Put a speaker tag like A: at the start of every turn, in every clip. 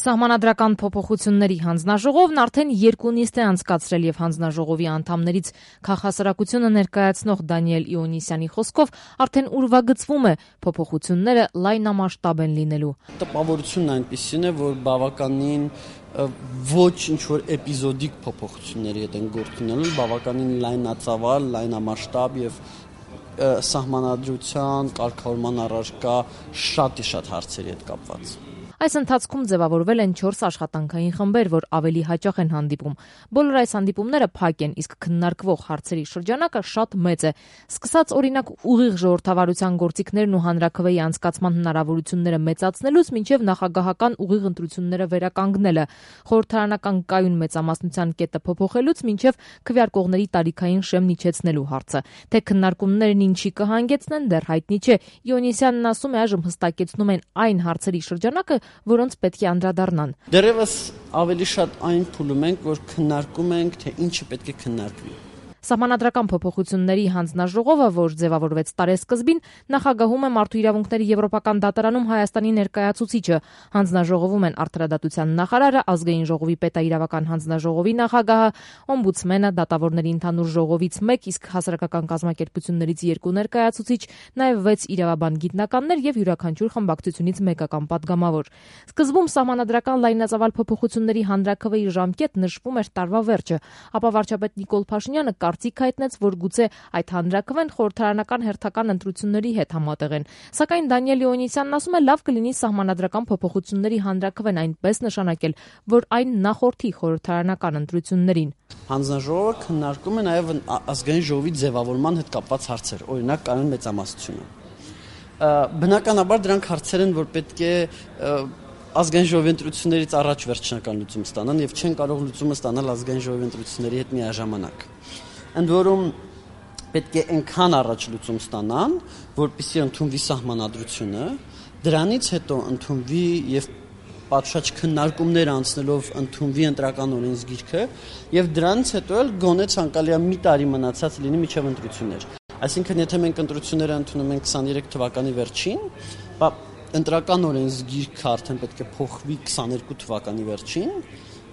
A: Սահմանադրական փոփոխությունների հանձնաժողովն արդեն 2 նիստ է անցկացրել եւ հանձնաժողովի անդամներից քաղաքասարակությունը ներկայացնող Դանիել Իոնիսյանի խոսքով արդեն ուրվագծվում է փոփոխությունները լայնամասշտաբ են լինելու։
B: Տպավորությունն այնպիսին է, որ բավականին ոչ ինչ-որ էպիզոդիկ փոփոխությունների հետ են գործ ունենում, բավականին լայնածավալ, լայնամասշտաբ եւ սահմանադրության կարգավորման առարկա շատ հարցերի հետ կապված։
A: Այս ընթացքում ձևավորվել են 4 աշխատանքային խմբեր, որ ավելի հաճախ են հանդիպում։ Բոլոր այս հանդիպումները փակ են, իսկ քննարկվող հարցերի շրջանակը շատ մեծ է։ Սկսած օրինակ ուղիղ ժողովրդավարության գործիքներն ու հանրաքվեի անցկացման հնարավորությունները մեծացնելուց մինչև նախագահական ուղիղ ընտրությունները վերականգնելը, խորհրդարանական կայուն մեծամասնության կետը փոփոխելուց մինչև քվեարկողների տարիքային շեմն իջեցնելու հարցը։ Թե քննարկումներն ինչի կհանգեցնեն, դեռ հայտնի չէ։ Իոնիսյանն ասում է, այժմ հստակեցնում են այն հարցերի շրջանակը, որոնց պետք է անդրադառնան։
B: Դեռևս ավելի շատ այն փուլում ենք, որ քննարկում ենք, թե ինչը պետք է քննարկվի։
A: Սահմանադրական փոփոխությունների հանձնաժողովը, որ ձևավորվեց տարեսկզբին, նախագահում է Մարդու իրավունքների Եվրոպական դատարանում Հայաստանի ներկայացուցիչը։ Հանձնաժողովում են Արդարադատության նախարարը, Ազգային ժողովի պետաիրավական հանձնաժողովի նախագահը, օմբուդսմենը, դատավորների ընդհանուր ժողովից 1, իսկ հասարակական կազմակերպություններից 2 ներկայացուցիչ, նաև 6 իրավաբան գիտնականներ եւ յուրաքանչյուր խմբակցությունից մեկական падգամավոր։ Սկզբում սահմանադրական լայնածավալ փոփոխությունների հանրաքվեի ժամկետ նշվում էր տարվա վերջը, ապա վարչապետ Նիկոլ Փաշինյանը կարծիք հայտնեց, որ գուցե այդ հանրաքվեն խորհրդարանական հերթական ընտրությունների հետ համատեղեն։ Սակայն Դանիել Իոնիսյանն ասում է, լավ կլինի սահմանադրական փոփոխությունների հանրաքվեն այնպես նշանակել, որ այն նախորդի խորհրդարանական ընտրություններին։
B: Հանձնաժողովը քննարկում է նաև ազգային ժողովի ձևավորման հետ կապված հարցեր, օրինակ կայուն մեծամասնությունը։ Բնականաբար դրանք հարցեր են, որ պետք է ազգային ժողովի ընտրություններից առաջ վերջնական լուծում ստանան եւ չեն կարող լուծումը ստանալ ազգային ժողովի ընտրությունների հետ միաժամանակ։ Ընդ որում պետք է այնքան առաջ լուծում ստանան, որպեսզի ընդունվի սահմանադրությունը, դրանից հետո ընդունվի եւ պատշաճ քննարկումներ անցնելով ընդունվի ընտրական օրենսգիրքը եւ դրանից հետո էլ գոնե ցանկալի մի տարի մնացած լինի մինչեւ ընտրություններ։ Այսինքն եթե մենք ընտրությունները ընդունում ենք 23 թվականի վերջին, ընտրական օրենսգիրքը արդեն պետք է փոխվի 22 թվականի վերջին,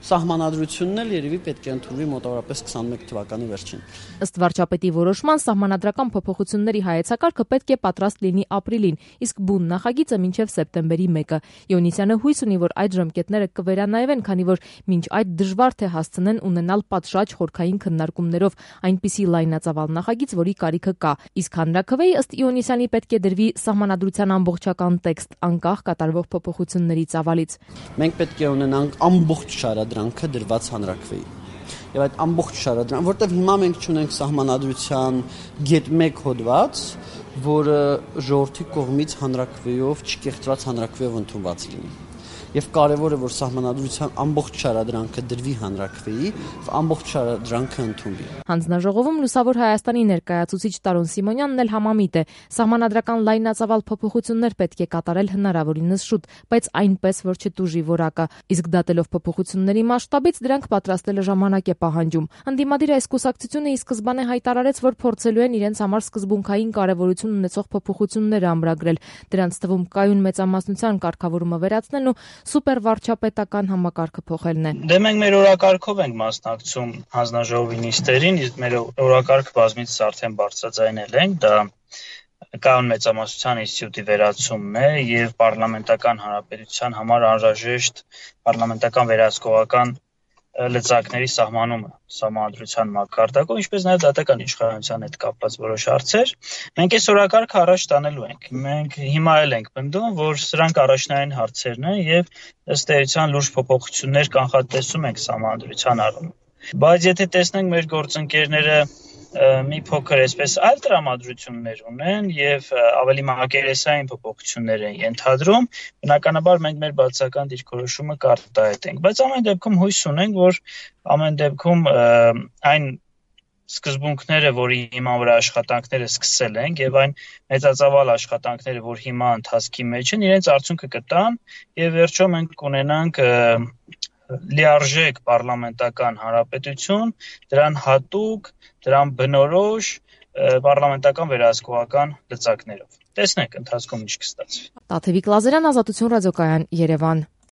B: սահմանադրությունն էլ երևի պետք է ընդունվի մոտավորապես 21 թվականի վերջին։
A: Ըստ վարչապետի որոշման սահմանադրական փոփոխությունների հայեցակարգը պետք է պատրաստ լինի ապրիլին, իսկ բուն նախագիծը մինչև սեպտեմբերի 1-ը։ Իոնիսյանը հույս ունի, որ այդ ժամկետները կվերանայվեն, քանի որ մինչ այդ դժվար թե հասցնեն ունենալ պատշաճ խորքային քննարկումներով այնպիսի լայնածավալ նախագիծ, որի կարիքը կա։ Իսկ հանրաքվեի ըստ Իոնիսյանի պետք է դրվի սահմանադրության ամբողջական տեքստ, անկախ կատարվող փոփոխությունների ծավալից։
B: Մենք պետք է ունենանք ամբողջ շարադրանքը դրված հանրաքվեի։ Եվ այդ ամբողջ շարադրանքը, որտեղ հիմա մենք ունենք սահմանադրության գետ 1 հոդված, որը ժողովրդի կողմից հանրաքվեով չկեղծված հանրաքվեով ընդունված լինի։ Եվ կարևոր է, որ սահմանադրության ամբողջ շարադրանքը դրվի հանրաքվեի, ամբողջ շարադրանքը ընդունվի։
A: Հանձնաժողովում Լուսավոր Հայաստանի ներկայացուցիչ Տարոն Սիմոնյանն էլ համամիտ է։ Սահմանադրական լայնածավալ փոփոխություններ պետք է կատարել հնարավորինս շուտ, բայց այնպես, որ չտուժի որակը։ Իսկ դատելով փոփոխությունների մասշտաբից դրանք պատրաստելը ժամանակ է պահանջում։ Ընդդիմադիր այս կուսակցությունը ի սկզբանե հայտարարեց, որ փորձելու են իրենց համար սկզբունքային կարևորություն ունեցող փոփոխություններ ամրագրել։ Դրանց թվում կայուն մեծամասնության կարգավորումը վերացնելն ու սուպերվարչապետական համակարգը փոխելն է։
C: Դե մենք մեր օրակարգով ենք մասնակցում հանձնաժողովի նիստերին, իսկ մեր օրակարգը բազմիցս արդեն բարձրաձայնել ենք, դա կայուն մեծամասնության ինստիտուտի վերացումն է եւ պարլամենտական հանրապետության համար անհրաժեշտ պարլամենտական վերահսկողական լծակների սահմանումը սահմանադրության մակարդակով, ինչպես նաև դատական իշխանության հետ կապված որոշ հարցեր։ Մենք այս օրակարգը առաջ տանելու ենք։ Մենք հիմա էլ ենք պնդում, որ սրանք առաջնային հարցերն են եւ ըստ էության լուրջ փոփոխություններ կանխատեսում ենք սահմանադրության առումով։ Բայց եթե տեսնենք մեր գործընկերները մի փոքր այսպես այլ տրամադրություններ ունեն եւ ավելի մակերեսային փոփոխություններ են ենթադրում, բնականաբար մենք մեր բացական դիրքորոշումը կարտահայտենք, բայց ամեն դեպքում հույս ունենք, որ ամեն դեպքում այն սկզբունքները, որի հիման վրա աշխատանքները սկսել ենք եւ այն մեծածավալ աշխատանքները, որ հիմա ընթացքի մեջ են, իրենց արդյունքը կտան եւ վերջում մենք կունենանք լիարժեք պարլամենտական հանրապետություն, դրան հատուկ, դրան բնորոշ պարլամենտական վերահսկողական լծակներով։ Տեսնենք ընթացքում ինչ կստացվի։
A: Տաթևիկ Լազարյան, Ազատություն ռադիոկայան, Երևան։